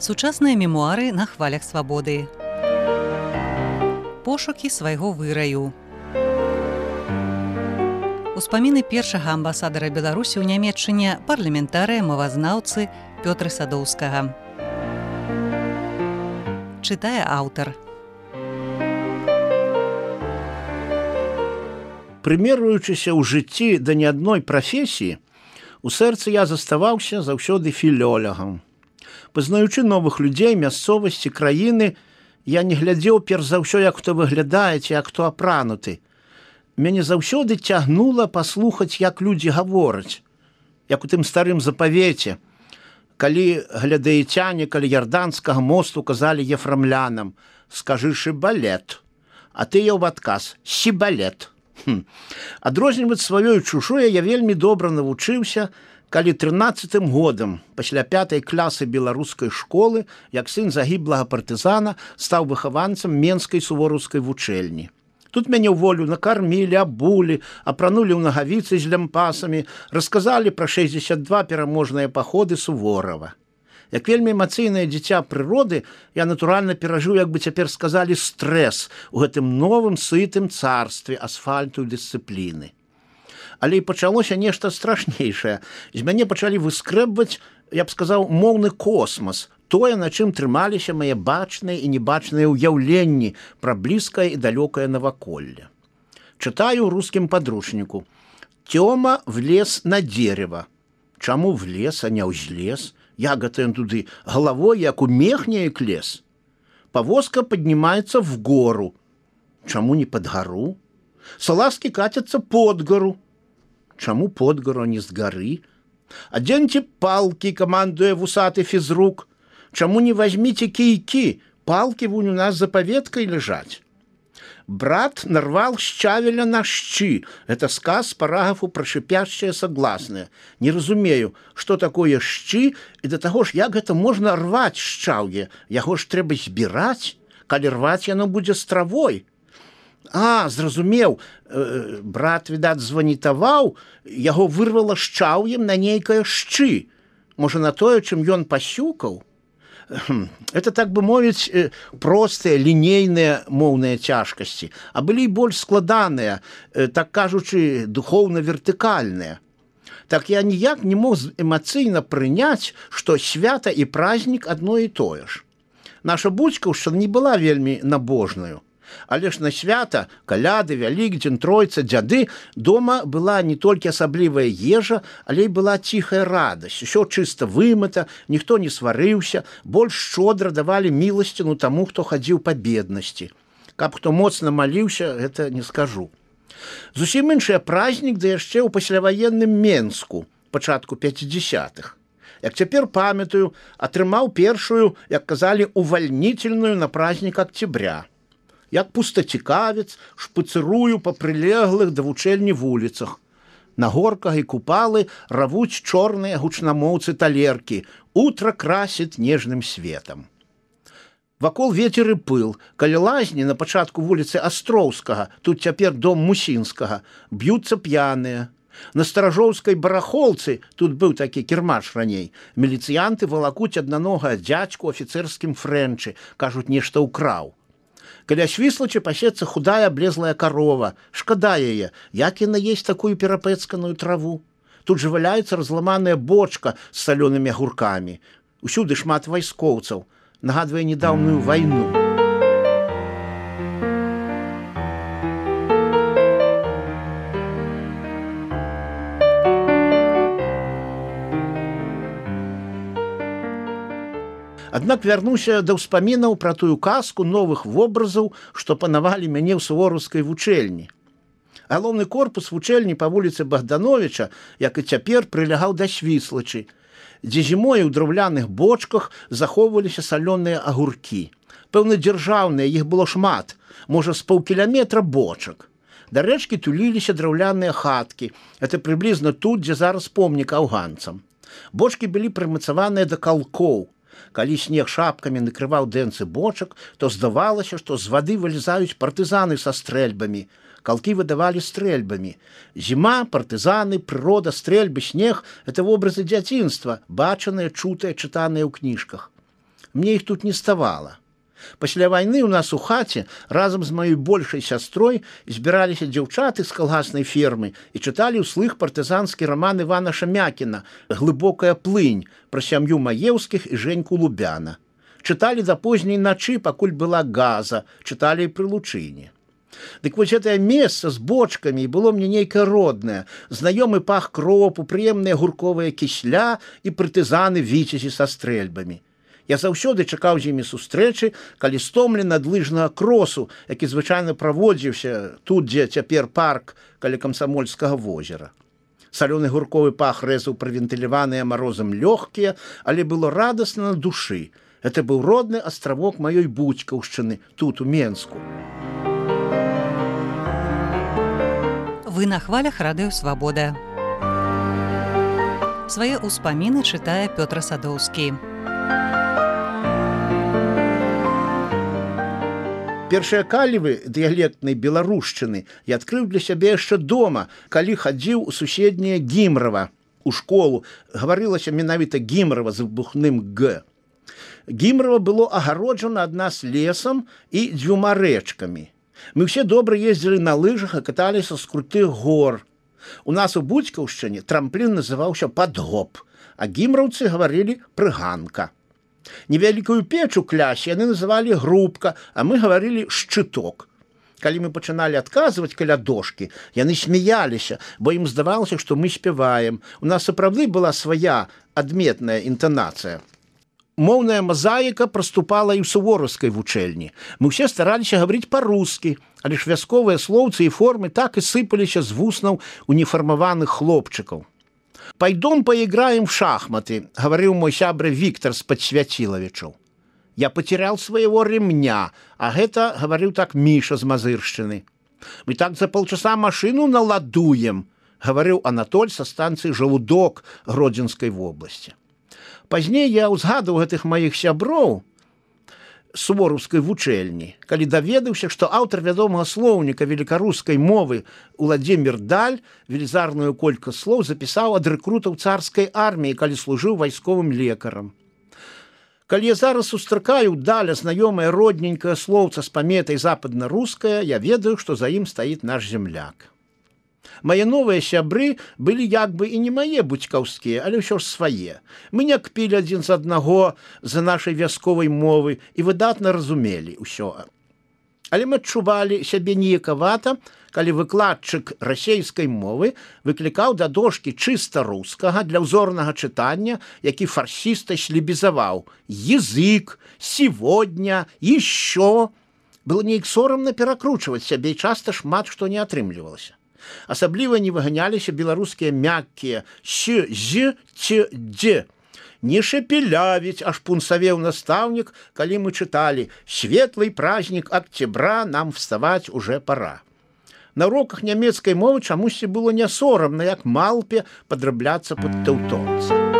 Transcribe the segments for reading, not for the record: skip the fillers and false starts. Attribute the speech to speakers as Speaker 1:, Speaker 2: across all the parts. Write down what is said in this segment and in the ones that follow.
Speaker 1: Сучасныя мемуары на хвалях свабоды. Пошукі свайго выраю. Успаміны першага амбасадара Беларусі ў Нямецчыне, парламентарыя, мовазнаўцы Пётра Садоўскага. Чытае аўтар.
Speaker 2: Прымерваючыся ў жыцці да ні адной прафесіі, у сэрцы я заставаўся заўсёды філёлагам. Пазнаючы новых людзей, мясцовасці, краіны, я не глядзеў перш за ўсё, як хто выглядае ці як хто апрануты. Мяне заўсёды цягнула паслухаць, як людзі гавораць, як у тым старым запавеце, калі глядаіцяне каля ярданскага мосту казалі ефрамлянам: «Скажы шыбалет», а тыя ў адказ: «Сібалет». Адрозніваць сваё і чужое я вельмі добра навучыўся, калі 13-м годам, пасля 5-й класы беларускай школы, як сын загіблага партызана, стаў выхаванцам Менскай сувораўскай вучэльні. Тут мяне ў волю накармілі, абулі, апранулі ў нагавіцы з лямпасамі, расказалі пра 62 пераможныя паходы Суворава. Як вельмі эмацыйнае дзіця прыроды, я натуральна перажыў, як бы цяпер сказалі, стрэс у гэтым новым сытым царстве асфальту і дысцыпліны. Але і пачалося нешта страшнейшае. З мяне пачалі выскрэбваць, я б сказаў, моўны космас, тое, на чым трымаліся мае бачныя і небачныя ўяўленні пра блізкае і далёкае наваколле. Чытаю ў рускім падручніку: «Тёма влез на дерево». Чаму влез, а не ўзлез? Як гэта ён туды галавой, як у мех неяк лез? Павозка паднімаецца в гору. Чаму не пад гару? Салазкі кацяцца под гару. Чаму под гару, а не з гары? Адзеньце палкі, камандуе вусаты фізрук. Чаму не вазьміце кійкі? Палкі вунь у нас за паветкай ляжаць. Брат нарвал шчавеля на шчы. Это сказ параграфу пра шыпяшчае согласное. Не разумею, што такое шчы, і да таго ж, як гэта можна рваць шчаўе? Яго ж трэба збіраць, калі рваць яно будзе з травой. А, зразумеў, брат, відаць, званітаваў, яго вырвала шчаўем на нейкае шчы. Можа, на тое, чым ён пасюкаў? Это, так бы мовіць, простыя, лінейныя моўныя цяжкасці, а былі і больш складаныя, так кажучы, духоўна-вертыкальныя. Так я ніяк не мог эмацыйна прыняць, што свята і празднік адно і тое ж. Наша бацькаўшчына не была вельмі набожнаю. Але ж на свята, каляды, Вялікдзень, Тройца, дзяды, дома была не толькі асаблівая ежа, але і была ціхая радасць. Усё чыста вымыта, ніхто не сварыўся, больш шчодра давалі міласціну таму, хто хадзіў па беднасці. Каб хто моцна маліўся, гэта не скажу. Зусім іншы празднік, да яшчэ ў пасляваенным Менску, пачатку 50-х. Як цяпер памятаю, атрымаў першую, як казалі, увальнительную на празднік Октября. Як пустацікавец, шпыцырую па прылеглых да вучэльні вуліцах. На горках і купалы равуць чорныя гучнамоўцы талеркі. Утро красіць нежным светам. Вакол вецер і пыл. Каля лазні на пачатку вуліцы Астроўскага, тут цяпер дом Мусінскага, б'юцца п'яныя. На Старажоўскай барахолцы, тут быў такі кірмаш раней, міліцыянты валакуць аднанога дзядзьку афіцэрскім фрэнчы, кажуць, нешта ўкраў. Каля Свіслачы пасецца худая аблезлая карова. Шкада яе, як яна есть такую перапэцканую траву. Тут жа валяецца разламаная бочка з салёнымі агуркамі. Усюды шмат вайскоўцаў. Нагадвае нядаўную вайну. Аднак вярнуся да ўспамінаў пра тую казку новых вобразаў, што панавалі мяне ў сувораўскай вучэльні. Галоўны корпус вучэльні па вуліцы Богдановича, як і цяпер, прылягаў да Свіслачы, дзе зімой у драўляных бочках захоўваліся салёныя агуркі. Пэўна, дзяржаўныя, іх было шмат, можа, з паўкіляметра бочак. Да рэчкі туліліся драўляныя хаткі. Это прыблізна тут, дзе зараз помнік афганцам. Бочкі былі прымацаваныя да калкоў. Калі снег шапкамі накрываў дэнцы бочак, то здавалася, што з вады вылезаюць партызаны са стрэльбамі. Калкі выдавалі стрэльбамі. Зіма, партызаны, прырода, стрэльбы, снег – это вобразы дзяцінства, бачаныя, чутыя, чытаныя ў кніжках. Мне іх тут не ставала. Пасля вайны ў нас у хаце разам з маёй большай сястрой збіраліся дзяўчаты з калгаснай фермы і чыталі ўслых партызанскі раман Івана Шамякіна «Глыбокая плынь» пра сям'ю Маеўскіх і Женьку Лубяна. Чыталі да позняй начы, пакуль была газа, чыталі і пры лучыне. Дык вось гэтае месца з бочкамі было мне нейкае роднае, знаёмы пах кропу, прыемная гурковая кісля і партызаны віцязі са стрэльбамі. Я заўсёды чакаў з імі сустрэчы, калі стомлены ад лыжнага кросу, які звычайна праводзіўся тут, дзе цяпер парк каля Камсамольскага возера. Салёны гурковы пах рэзаў правентыляваныя марозам лёгкія, але было радасна на душы. Гэта быў родны астравок маёй Буцькаўшчыны, тут, у Менску.
Speaker 1: Вы на хвалях радыё «Свабода». Свае ўспаміны чытае Пётр Садоўскі.
Speaker 2: Першыя калівы дыялектнай беларушчыны я адкрыў для сябе яшчэ дома, калі хадзіў у суседняе Гімрава, у школу. Гаварылася менавіта Гімрава з выбухным «г». Гімрава было агароджана ад нас лесам і 2 рэчкамі. Мы ўсе добра ездзілі на лыжах і каталіся з крутых гор. У нас у Буцькаўшчыне трамплін называўся «падгоп», а гімраўцы гаварылі «прыганка». Невялікую печ у клясе яны называлі «грубка», а мы гаварылі «шчыток». Калі мы пачыналі адказваць каля дошкі, яны смяяліся, бо ім здавалася, што мы спяваем. У нас сапраўды была свая адметная інтанацыя. Моўная мазаіка праступала і ў сувораўскай вучэльні. Мы ўсе стараліся гаварыць па-рускі, але ж вясковыя слоўцы і формы так і сыпаліся з вуснаў уніфармаваных хлопчыкаў. «Пайдом поиграем в шахматы», — говорил мой сябра Виктор с Подсвятиловичев. «Я потерял своего ремня», а гэта говорил так Миша з Мазыршчыны. «Мы так за полчаса машину наладуем», — говорил Анатоль со станции «Желудок» Гродзенской области. Пазней я узгадывал гэтых моих сяброў сувораўскай вучэльні, калі даведаўся, што аўтар вядомага слоўніка велікарускай мовы Уладзімір Даль велізарную колькасць слоў запісаў ад рэкрутаў царскай арміі, калі служыў вайсковым лекарам. Калі я зараз сустракаю Даля знаёмае родненькае слоўца з паметай западна-рускае, я ведаю, што за ім стаіць наш земляк. Мае новыя сябры былі як бы і не мае буцькаўскія, але ўсё ж свае. Мы не кпілі адзін з аднаго за нашай вясковай мовы і выдатна разумелі ўсё. Але мы адчувалі сябе неякавата, калі выкладчык расейскай мовы выклікаў да дошкі чыста рускага для ўзорнага чытання, які фарсіста шлібізаваў «язык», «сегодня», «еще». Было неяк сорамна перакручваць сябе і часта шмат што не атрымлівалася. Асабліва не выганяліся беларускія мяккія «щ», «з», «ц», «дзе». Не шепелявіць, аж пунсавеў настаўнік, калі мы чыталі «Светлый праздник октября, нам вставать уже пора». На уроках нямецкай мовы чамусьці было не сорамна, як малпе падрабляцца пад тэўтонца.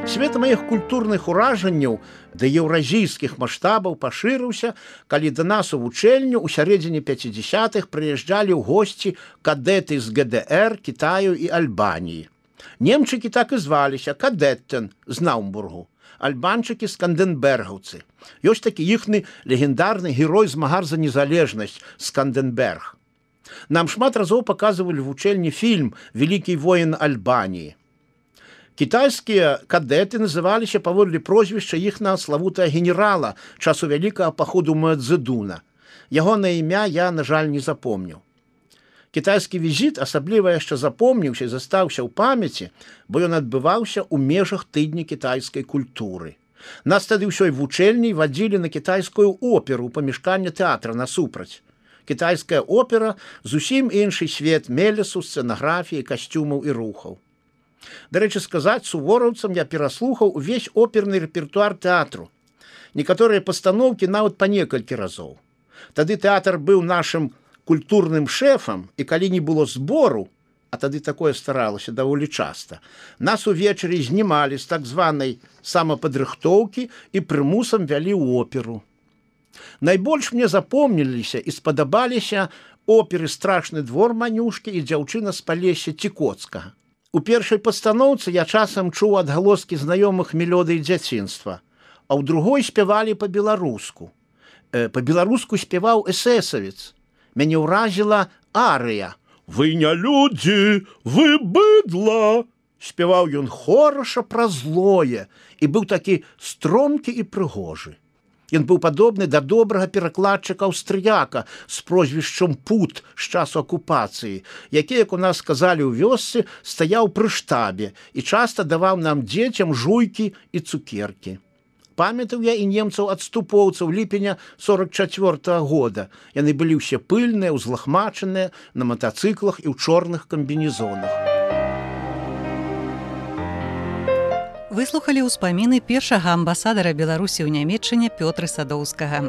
Speaker 2: Свет маіх культурных уражанняў да еўразійскіх маштабаў пашырыўся, калі да нас у вучэльню ў сярэдзіне 50-х прыязджалі ў госці кадэты з ГДР, Кітаю і Альбаніі. Немчыкі так і зваліся Кадеттен з Наумбургу, альбанчыкі сканденбергаўцы. Ёсць такі іхны легендарны герой-змагар за незалежнасць Сканденберг. Нам шмат разоў паказвалі ў вучэльні фільм «Вялікі воін Альбаніі». Кітайскія кадэты называліся паводле прозвішча іхнага славутага генерала часу вялікага паходу Маэцзэдуна. Ягонае імя я, на жаль, не запомніў. Кітайскі візіт асабліва яшчэ запомніўся і застаўся ў памяці, бо ён адбываўся ў межах тыдня кітайскай культуры. Нас тады ўсёй вучэльняй вадзілі на кітайскую оперу ў памяшканне тэатра насупраць. Кітайская опера зусім іншы свет мелесу, сцэнаграфіі, касцюмаў і рухаў. Дарэчы сказаць, сувораўцам я пераслухаў увесь оперны рэпертуар тэатру. Некаторыя пастаноўкі нават па некалькі разоў. Тады тэатр быў нашым культурным шэфам, і калі не было збору, а тады такое старалася даволі часта, нас увечары знімалі з так званай самападрыхтоўкі і прымусам вялі ў оперу. Найбольш мне запомніліся і спадабаліся оперы «Страшны двор» Манюшкі і «Дзяўчына з Палесся» Цікоцкага. У першай пастаноўцы я часам чуў адгалоскі знаёмых мелодый дзяцінства, а ў другой спявалі па-беларуску. Па-беларуску спяваў эсэсавец. Мяне ўразіла арыя. «Вы не людзі, вы быдла!» Спяваў ён хораша пра злое і быў такі стромкі і прыгожы. Ён быў падобны да добрага перакладчыка аўстрыяка з прозвішчам Пут з часу акупацыі, які, як у нас сказалі ў вёсцы, стаяў пры штабе і часта даваў нам дзецям жуйкі і цукеркі. Памятаў я і немцаў-адступоўцаў ліпеня 44-го года. Яны былі ўсе пыльныя, узлахмачаныя, на матацыклах і ў чорных камбінезонах.
Speaker 1: Выслухалі ўспаміны першага амбасадара Беларусі ў Нямецчыне Пётра Садоўскага.